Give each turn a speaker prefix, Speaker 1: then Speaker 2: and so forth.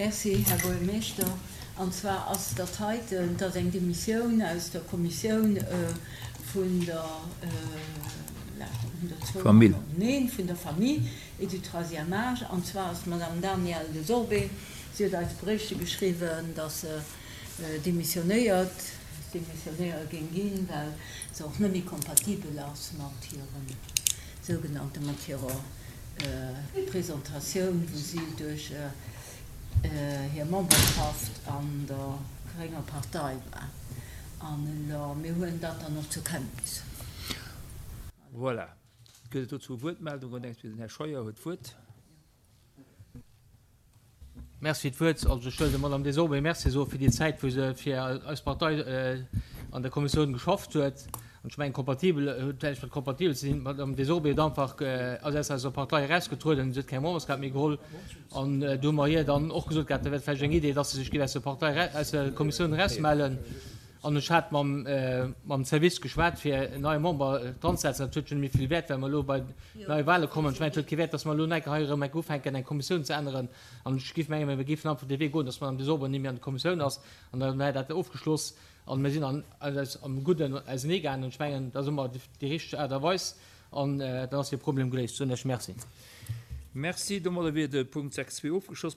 Speaker 1: Merci, Här Buergermeeschter. An zwar ass dat heiten, dat ass eng Demissioun aus der Kommissioun vun der,
Speaker 2: Famill.
Speaker 1: Neen, vun der Famille et du troisième âge. An zwar ass d'Madame Danièle Desorbé, si huet eis e Bréifche geschriwwen, dass se demissionéiert, demissionéiere géing ginn, well se och net méi kompatibel ass mat hirem sougenannte, mat hirer Presentatioun, wou si duerch hir Memberschaft an der grénger Partei war. An elo, mir huelen dat dann och zur Kenntnis.
Speaker 2: Voilà. Gëtt et dozou Wuertmeldungen? Den Här Scheuer huet d'Wuert.
Speaker 3: Merci fir d'Wuert. Also ech wëll der Madame Desorbé Merci soe fir déi Zäit, wou se fir eis Partei an der Kommissioun geschafft huet. An ech mengen, kompatibel huet näischt mat kompatibel ze dinn. D'Madame Desorbé huet einfach, ass aus eiser Partei erausgetrueden, se huet keng Memberskaart méi geholl. An do hu mer hir dann och gesot gehat, dat wär vläicht eng Idee, dass se sech géif aus der Partei, aus der Kommissioun erausmellen. An ech hat mam, mam Service geschwat, fir en neie Member dranzesetzen. Dat huet jo net méi vill Wäert, well mer elo bei neie Wahle kommen. Ech mengen, et huet kee Wäert, dass mer elo enke hei erëm enke ufänken, eng Kommissioun ze änneren. An ech géif mengen, mir géifen einfach dee Wee goen, dass d'Madame Desorbes net méi an der Kommissioun ass. An da wär dat ofgeschloss. An mir sinn an, eis am Gudden auseneegaangen. Ech mengen, dat ass ëmmer déi richteg Aart a Weis. An dann ass dee Problem geléist. Soen ech Merci.
Speaker 2: Merci. Domadder wier de Punkt 6.2 ofgeschloss.